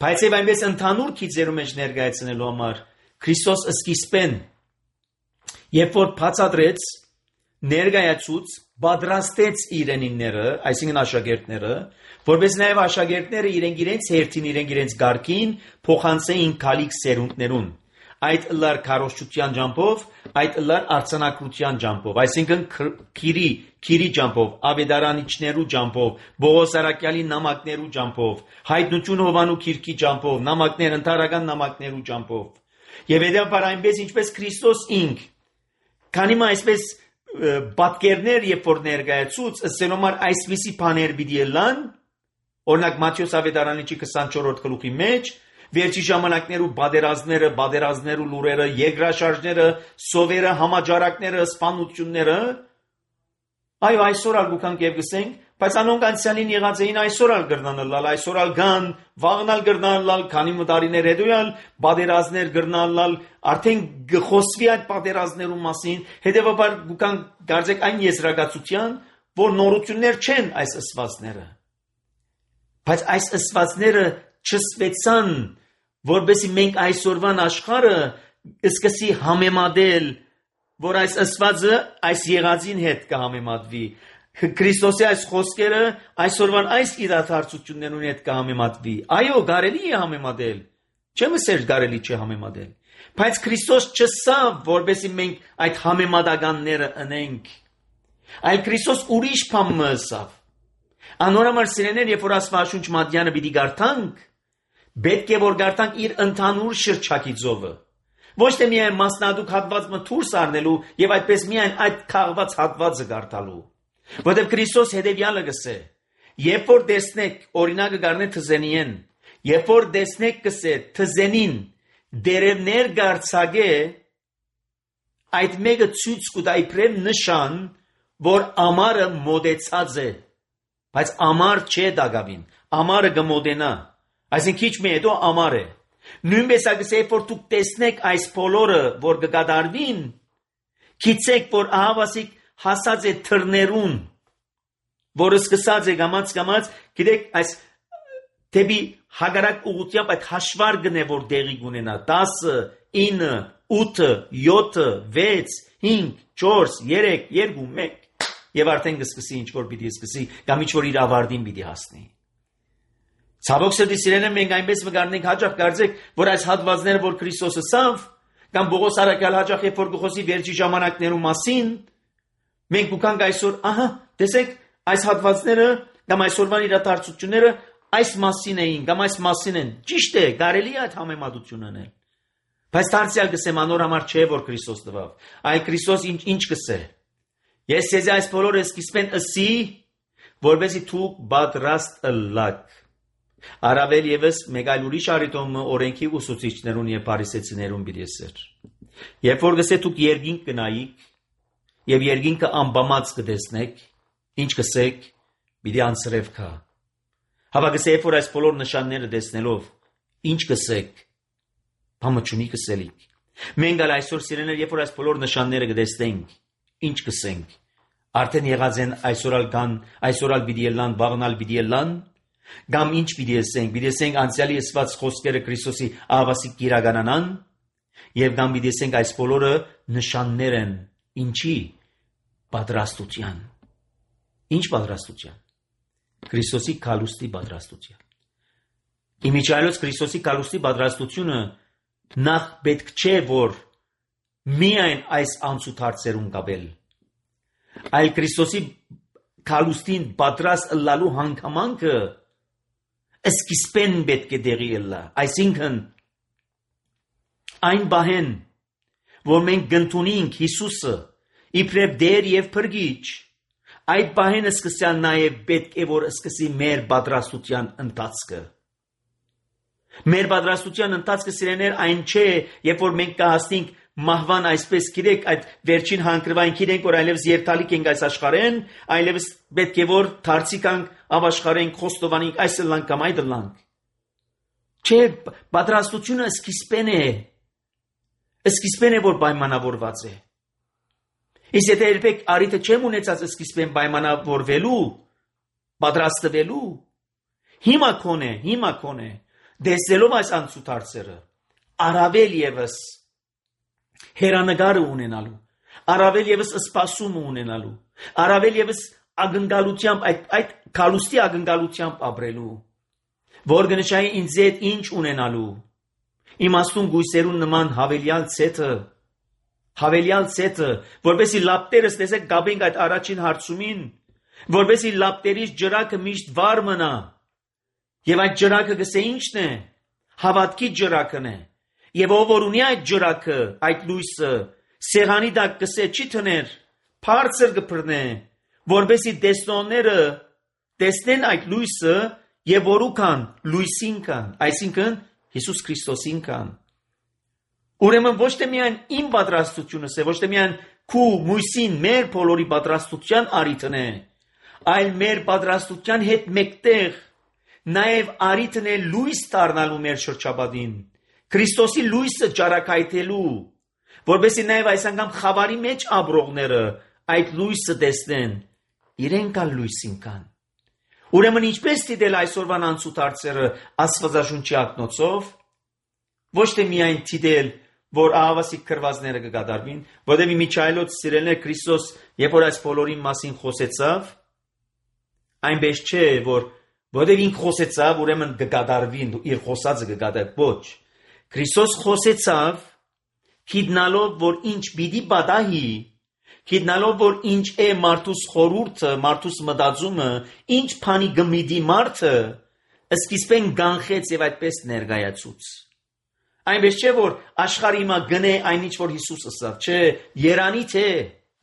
A: բայց եւ այնպես ընդհանուր գիծերու մեջ ներկայացնելու համար Քրիստոս սկիզբեն, երբ որ բացատրեց, ներկայացուց, պատրաստեց իրենինները, այսինքն աշակերտները, որպես նաև աշակերտները իրենք իրենց հերթին, իրենք իրենց գարկին փոխանցեին քալիք սերունդներուն, այդ ըլլար քարոզչության ջամփով, այդ ըլլար արձանագրության ջամփով, այսինքն քիրի, քիրի ջամփով, ավետարանիչներու ջամփով, Բողոս Արաքյալի նամակներու ջամփով, հայտնություն Հովանու քիրքի ջամփով, նամակներ ընդհանրական նամակներու ջամփով, եւ հետեւաբար այնպես ինչպես Քրիստոս ինք, քանի մա այսպես պատկերներ երբ որ ներկայացուց, ըսելով այսպիսի բաներ պիտի ելան, օրինակ Մատթեոս ավետարանիչի քսանչորրորդ գլուխի մեջ, վերջի ժամանակներու բادرազները, բادرազներու լուրերը, երկրաշարժները, սովերը, համաճարակները, սպանությունները, այո, այսօր ալ գուքանք եւ գսենք, բայց անոնք անցյալին եղած էին այսօր ալ գրնանալ, այսօր ալ գան, վաղնալ գրնանալ, քանի մտարիներ հետոյալ, բادرազներ գրնանալ, արդեն գխոսվի այդ բادرազներու մասին, հետեւաբար գուքանք դարձեք այն եզրակացության, որ նորություններ չեն այս ըսվածները։ Բայց այս ըսվածները չսվեցան, որբեսի մենք այսօրվան աշխարհը սկսի համեմատել, որ այս ըսվածը այս եղածին հետ կհամեմատվի, Քրիստոսի այս խոսքերը այսօրվան այս իրադարձություններուն հետ կհամեմատվի։ Այո, կարելի է համեմատել, չեմ ասել կարելի չէ համեմատել, բայց Քրիստոս չսավ, որբեսի մենք այդ համեմատականները ընենք, այլ Քրիստոս ուրիշ բան մսավ։ Անորամար սիրեներ, երբ որ Աստվածաշունչ մատյանը պիտի գարտանք, պետք է որ գարտանք իր ընդհանուր շրջակիցովը, ոչ թե միայն մասնադուկ հատվածը դուրս առնելու եւ այդպես միայն այդ քաղված հատվածը գարտալու, որտեղ Քրիստոս հետեւյալը գսե. Երբ որ տեսնեք, օրինակը գարնե թզենիեն, երբ որ տեսնեք կսե թզենին դերևներ գարցագե, այդ մեկը ցույց կտա իբրև նշան, որ ամառը մոտեցած է, բայց ամառ չէ դակավին, ամառը կմոտենա, այսինքն քիչ մի հետո ամառ է։ Նույնպես ագսե որ դուք տեսնեք այս բոլորը, որ կկատարվին, գիտեք, որ ահավասիկ հասած է թռներուն, որը սկսած է գամած գամած, գիտեք, այս դեպի հագարակ ուղղությամբ այդ հաշվարկն է, որ դեղի կունենա, տասը, ինը, ութը, յոթը, վեց, հինգ, չորս, երեք, երկու, մեկ, եւ արդեն կսկսի ինչ որ պիտի սկսի, կամ ինչ որ իր ավարտին պիտի հասնի։ Ցավոք սրտի սիրելիներ, մենք այնպես մգարնենք հաճախ կարծեք, որ այս հատվածները, որ Քրիստոսը սավ, կամ Պողոս առաքյալ հաճախ երբ որ գխոսի վերջի ժամանակներու մասին, մենք կուքանք այսօր, ահա, տեսեք, այս հատվածները կամ այսօրվան իրադարձությունները այս մասին էին, կամ այս մասին են։ Ճիշտ է, կարելի է այդ համեմատություն անել։ Բայց դարձյալ կսեմ անոր համար չէ, որ Քրիստոս տվավ։ Այ Քրիստոս ինչ ինչ կսե։ Ես ցեզի այս բոլորը սկիզբեն ըսի, որովհետեւ դուք պատրաստ ըլլաք։ Արավել եւս մեկ այլ ուրիշ արիտոմը օրենքի ուսուցիչներուն եւ փարիսեցիներուն բիդեսեր։ Երբ որ գսե դուք երկինք կնայիք եւ երկինքը ամբամած կտեսնեք, ինչ կսեք, պիտի անցրև կա։ Հավա գսե որ այս բոլոր նշանները տեսնելով, ինչ կսեք, բամը չունի կսելիք։ Մենք ալ այսօր սիրելիներ, երբ որ այս բոլոր նշանները կտեսնենք, ինչ կսենք։ Արդեն եղած են այսօրալ կան, այսօրալ պիտի ելան, վաղնալ պիտի ելան, կամ ինչ պիտի ասենք, պիտի ասենք անցյալի ասված խոսքերը Քրիստոսի ահավասիկ կիրականանան, եւ կամ պիտի ասենք այս բոլորը նշաններ են, ինչի պատրաստության։ Ինչ պատրաստության։ Քրիստոսի կալուստի պատրաստության։ Իմիջայլոց Քրիստոսի կալուստի պատրաստությունը նախ պետք չէ որ միայն այս անցուդարձերուն կապել, այլ Քրիստոսի կալուստին պատրաստ ըլլալու հանգամանքը սկիզբեն պետք է դեղի ըլլա, այսինքն այն բահեն, որ մենք գտնունենք Հիսուսը իբրև դեր եւ փրկիչ, այդ բահենը սկսյալ նաեւ պետք է որ սկսի մեր պատրաստության ընթացքը։ Մեր պատրաստության ընթացքը սիրելիներ այն չէ, երբ որ մենք կհասնենք մահվան այսպես գիտեք այդ վերջին հանգրվային գիտենք որ այլևս երթալիք ենք այս աշխարհեն, այլևս պետք է որ դարձիկանք ապաշխարենք խոստովանենք այս լանք կամ այդ լանք։ Չէ, պատրաստությունը սկիզբեն է։ Սկիզբեն է որ պայմանավորված է։ Իսկ եթե երբեք արիթը չեմ ունեցած սկիզբեն պայմանավորվելու, պատրաստվելու, հիմա կոնե, հիմա կոնե, դեսելով այս անցուդարձերը, առավել եւս հերանագարը ունենալու, առավել եւս սպասումը ունենալու, առավել եւս ակնկալությամբ այդ այդ կալուստի ակնկալությամբ ապրելու, որ գնշայի ինձ այդ ինչ ունենալու, իմաստուն գույսերուն նման հավելյալ ցեթը, հավելյալ ցեթը, որովհետեւ լապտերս տեսեք գաբենք այդ առաջին հարցումին, որովհետեւ լապտերից ջրակը միշտ վառ մնա, եւ այդ ջրակը գսե ինչն է, հավատքի ջրակն է, եւ ով որ ունի այդ ջրակը, այդ լույսը, սեղանի տակ գսե չի թներ, բարձր կփռնե, որովհետեւ տեսնողները տեսնեն այդ լույսը եւ որուքան լույսին կան, այսինքն Հիսուս Քրիստոսին կան։ Ուրեմն ոչ թե միայն իմ պատրաստությունս է, ոչ թե միայն քու մույսին մեր բոլորի պատրաստության արիթն է, այլ մեր պատրաստության հետ մեկտեղ նաեւ արիթն է լույս դառնալու մեր շրջապատին, Քրիստոսի լույսը ճարակայթելու, որովհետեւ նաեւ այս անգամ խավարի մեջ ապրողները այդ լույսը տեսնեն, իրենք ալ լույսին կան։ Ուրեմն ինչպես դիտել այսօրվան անցուդարձերը Աստվածաշունչի ակնոցով, ոչ թե միայն դիտել, որ ահավասիկ քրվածները կկատարվին, որովհետեւ Միչայելոց սիրելիներ Քրիստոս, երբ որ այս բոլորի մասին խոսեցավ, այնպես չէ, որ որովհետեւ ինքը խոսեցավ, ուրեմն կկատարվին, իր խոսածը կկատարվի, ոչ։ Քրիստոս խոսեցավ, գիտնալով, որ ինչ պիտի պատահի, գիտնալով, որ ինչ է մարդուս խորհուրդը, մարդուս մտածումը, ինչ բանի գմիդի մարդը, սկիզբեն գանխեց եւ այդպես ներկայացուց։ Այնպես չէ, որ աշխարհի հիմա գնե այնինչ որ Հիսուս ասավ, չէ, երանի թե,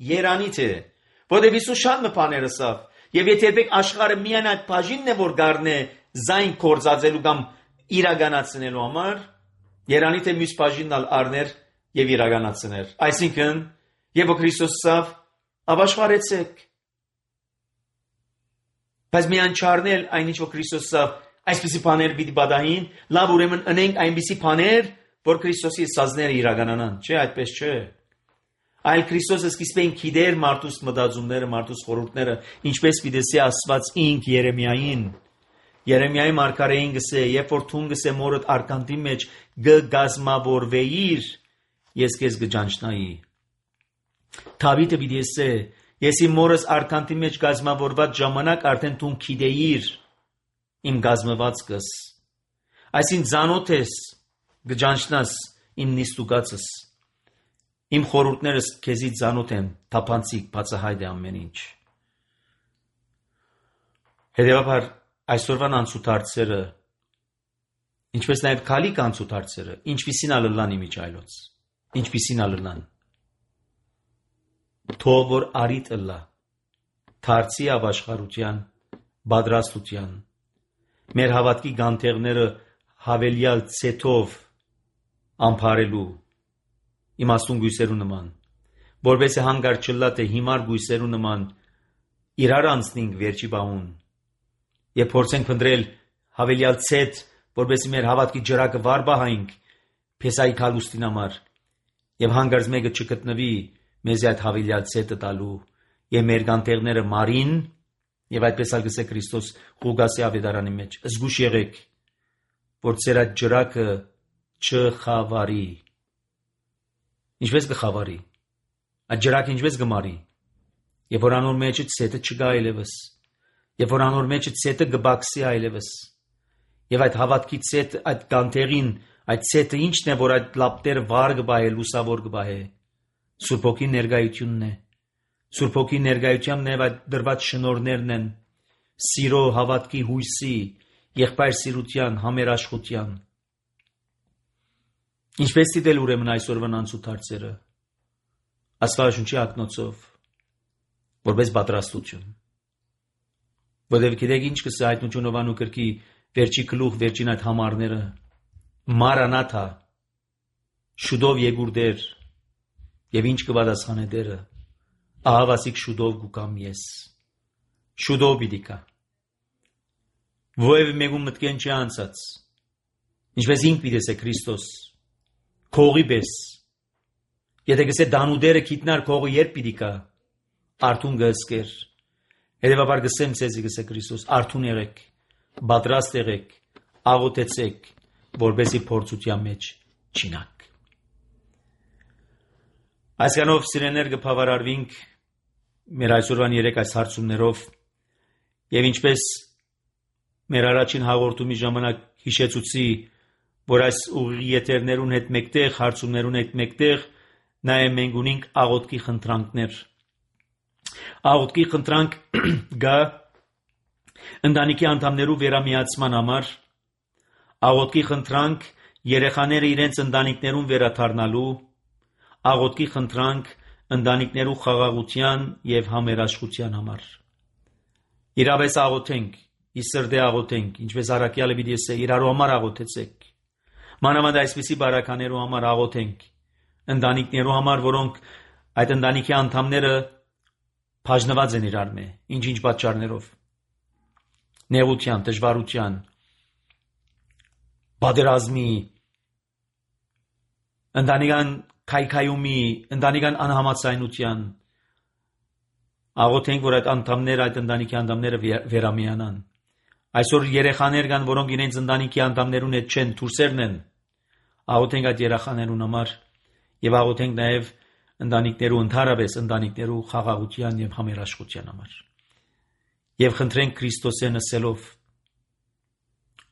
A: երանի թե, որովհետեւ Հիսուս շատ բաներ ասավ, Եվ եթե երբեք աշխարհը միայն այդ բաժինն է, որ գարնե զայն կործածելու կամ իրականացնելու համար, երանի թե մյուս բաժինն ալ առներ եւ իրականացներ։ Այսինքն, եւ Քրիստոսով ապաշխարեցեք։ Բայց միայն չառնել այնինչ որ Քրիստոսով այսպիսի բաներ պիտի բադային, լավ ուրեմն ընենք այնպիսի բաներ, որ Քրիստոսի սազները իրականանան, չէ, այդպես չէ։ Այլ Քրիստոսը սկիզբեն գիտեր մարդուս մտածումները, մարդուս խորհուրդները, ինչպես պիտի ասված ինք Երեմիային։ Երեմիայի մարգարեին գսե, երբ որ թուն գսե մորդ արքանտի մեջ գգազմավորվեիր, ես քեզ կճանչնայի։ Դավիթը պիտի ասե, ես իմ մորս արքանտի մեջ գազմավորված ժամանակ արդեն թուն գիտեիր իմ գազմվածքս։ Այսին ծանոթ ես գճանչնաս իմ նիստուկացս։ Իմ խորհուրդներս քեզի ծանոթ են, թափանցիկ, բացահայտ է ամեն ինչ։ Հետևաբար այսօրվան անցուդարձերը, ինչպես նաև քալիք անցուդարձերը, ինչպիսին ալլան իմիջայլոց, ինչպիսին ալլան։ Թող որ արիտ ըլլա, թարցի ապաշխարության, բادرաստության, մեր հավատքի գանթեղները հավելյալ ցետով ամփարելու, իմաստուն գույսերու նման, որբեսի հանգար չլա թե հիմար գույսերու նման իրար անցնենք վերջի բահուն, եւ փորձենք փնտրել հավելյալ ցետ, որբեսի մեր հավատքի ջրակը վար բահենք փեսայի քալուստին համար, եւ հանգարց մեկը չգտնվի մեզ այդ հավելյալ ցետը տալու, եւ մեր գանթեղները մարին, եւ այդպես ալ գսե Քրիստոս Ղուկասի ավետարանի մեջ, զգուշ եղեք, որ ձեր այդ ջրակը չխավարի։ Ինչպես կխավարի, այդ ջրակը ինչպես կմարի, եւ որ անոր մեջը ցետը չգա այլևս, եւ որ անոր մեջը ցետը կբաքսի այլևս, եւ այդ հավատքի ցետ, այդ գանթեղին, այդ ցետը ինչն է, որ այդ լապտերը վար կբահե, լուսավոր կբահե, Սուրբ Հոգի ներկայությունն է, Սուրբ Հոգի ներկայությամբ նաև այդ դրված շնորհներն են, սիրո, հավատքի, հույսի, եղբայր սիրության, համերաշխության։ Ինչպես դիտել ուրեմն այսօրվան անցուդարձերը, Աստվածաշունչի ակնոցով, որպես պատրաստություն։ Որտեղ գիտեք ինչ կսա հայտնություն Հովանու գրքի վերջի գլուխ, վերջին այդ համարները, Մարանաթա, շուտով եկուր Տեր, եւ ինչ կպատասխանե Տերը, ահավասիկ շուտով գուկամ ես, շուտով պիտի գա։ Ովև մեկում մտքեն չի անցած, ինչպես ինք պիտի ասե Քրիստոս, քողի պես, եթե գսե դանուդերը գիտնար քողը երբ պիտի գա, արթուն գսկեր, հետևաբար գսեմ ցեզի գսե Քրիստոս, արթուն եղեք, պատրաստ եղեք, աղոթեցեք, որպեսզի փորձության մեջ չինաք։ Այսքանով սիրեներ կբավարարվենք մեր այսօրվան երեք այս հարցումներով եւ ինչպես մեր առաջին հաղորդումի ժամանակ հիշեցուցի, որ այս ուղի եթերներուն հետ մեկտեղ, հարցումներուն հետ մեկտեղ նաեւ մենք ունենք աղոթքի խնդրանքներ։ Աղոթքի խնդրանք գա ընտանիքի անդամներու վերամիացման համար, աղոթքի խնդրանք երեխաները իրենց ընտանիքներուն վերադառնալու, աղոթքի խնդրանք ընտանիքներու խաղաղության եւ համերաշխության համար։ Իրավես աղոթենք, իսրդե աղոթենք, ինչպես առաքյալը պիտի ասե, իրարու համար աղոթեցեք։ Մանավանդ այսպիսի բարականերու համար աղոթենք, ընտանիքներու համար, որոնք այդ ընտանիքի անդամները բաժնված են իրար մե, ինչ-ինչ պատճառներով։ Նեղության, դժվարության, պատերազմի, ընտանիքան քայքայումի, ընտանիքան անհամաձայնության, աղոթենք, որ այդ անդամները, այդ ընտանիքի անդամները վերամիանան։ Այսօր երեխաներ կան, որոնք իրենց ընտանիքի անդամներուն հետ չեն, դուրսերն են, աղոթենք այդ երեխաներուն համար եւ աղոթենք նաեւ ընտանիքներու, ընդհանրապես ընտանիքներու խաղաղության եւ համերաշխության համար։ Եվ խնդրենք Քրիստոսեն ասելով.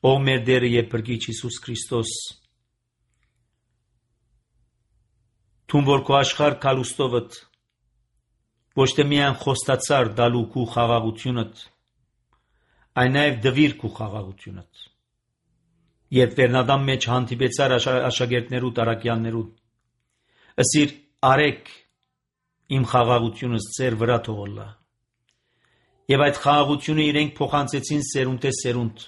A: Ո մեր Տերը եւ Փրկիչ Հիսուս Քրիստոս, Թուն որ քո աշխարհ կալուստովդ ոչ թե միայն խոստացար դալու քու խաղաղությունդ, այլ նաև դվիր քու խաղաղությունդ։ Երբ Վերնադամ մեջ հանդիպեցար աշակերտներու տարակյաններու, ըսիր արեք իմ խաղաղությունս ձեր վրա թողոլա։ Եվ այդ խաղաղությունը իրենք փոխանցեցին սերունդ է սերունդ։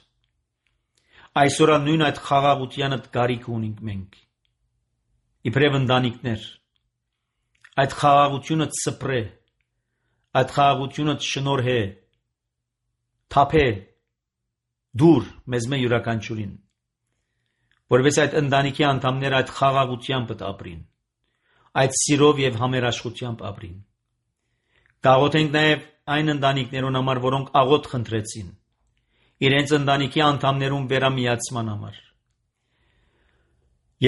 A: Այսօր նույն այդ խաղաղությանը կարիք ունենք մենք։ Իբրև ընտանիքներ, այդ խաղաղությունը սփռե, այդ խաղաղությունը շնորհե, թափե, դուր մեզ մե յուրաքանչյուրին, որովհետեւ այդ ընտանիքի անդամները այդ խաղաղությամբ ապրին, այդ սիրով եւ համերաշխությամբ ապրին։ Գաղութենք նաեւ այն ընտանիքներուն համար, որոնք աղոթ խնդրեցին, իրենց ընտանիքի անդամներուն վերամիացման համար։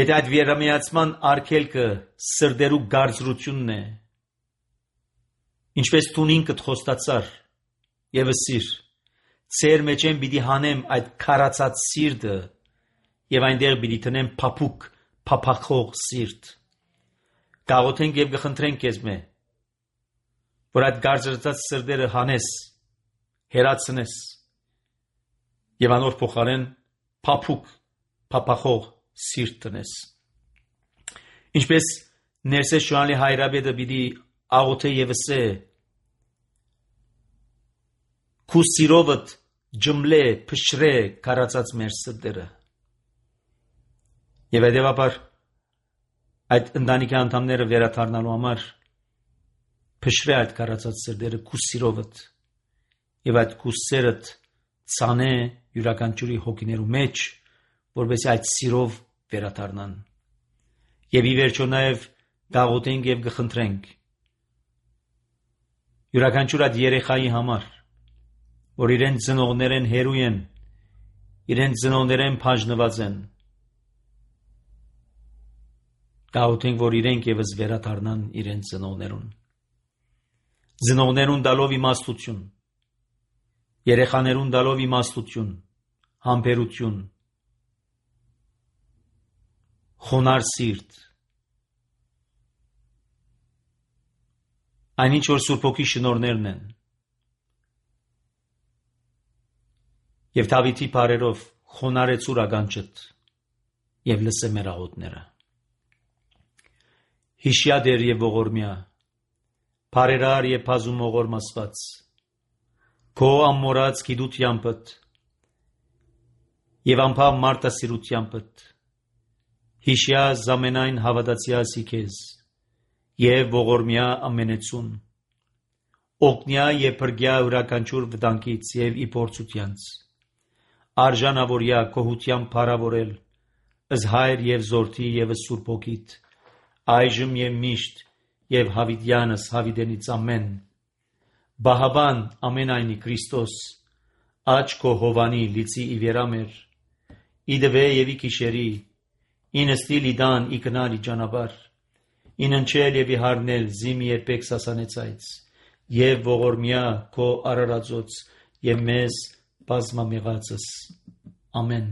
A: Եթե այդ վերամիացման արգելքը սրդերու գարձրությունն է, ինչպես տունին կդ խոստացար եւ սիր, ծեր մեջ եմ պիտի հանեմ այդ քարացած սիրտը եւ այնտեղ պիտի տնեմ փափուկ, փափախող սիրտ։ Գաղութենք եւ գխնդրենք քեզ մե, որ այդ գարձրծած սրտերը հանես, հերացնես եւ անոր փոխարեն փափուկ, փափախող սիրտ տնես։ Ինչպես ներսես շոյալի հայրաբեդը պիտի աղոթե եւ սե, քու սիրովդ ջմլե, փշրե քարացած մեր սրտերը։ Եվ հետևաբար այդ ընտանիքի անդամները վերադառնալու համար փշրե այդ քարացած սրտերը քու սիրովդ եւ այդ քու սերդ ցանե յուրաքանչյուրի հոգիներու մեջ, որովհետեւ այդ սիրով վերադառնան։ Եվ ի վերջո նաեւ գաղութենք եւ գխնդրենք յուրաքանչյուր այդ երեխայի համար, որ իրեն ծնողներեն հերու են, իրեն ծնողներեն բաժնված են, գաղութենք, որ իրենք եւս վերադառնան իրեն ծնողներուն, ծնողներուն տալով իմաստություն, երեխաներուն տալով իմաստություն, համբերություն, խոնար սիրտ, այնինչ որ Սուրբ Հոգի շնորհներն են, եւ Դավիթի բարերով խոնարեցուր ականջդ եւ լսե մեր աղոթները։ Հիշյա դեր եւ ողորմյա, բարերար եւ բազում ողորմասված, քո ամորած գիտությանբդ եւ անփավ մարտասիրությանբդ, հիշյա զամենայն հավատացյալի քեզ եւ ողորմյա ամենեցուն, օգնյա եւ բրգյա յուրաքանչյուր վտանգից եւ իփորձությանց, արժանավորյա կողությամբ փառավորել, ըզ հայր եւ զորթի եւ Սուրբ Հոգիտ, այժմ եւ միշտ եւ հավիտյանս հավիտենից ամեն, բահաբան ամենայնի Քրիստոս, աչ քո հովանի լիցի ի վերամեր, իդվե եւ ի քիշերի, ինստիլ իդան ի կնալ ի ճանապար, ինընչել եւ ի հարնել զիմ երբեք սասանեցայց, եւ ողորմյա քո արարածոց եւ մեզ բազմամեղածս։ Ամեն։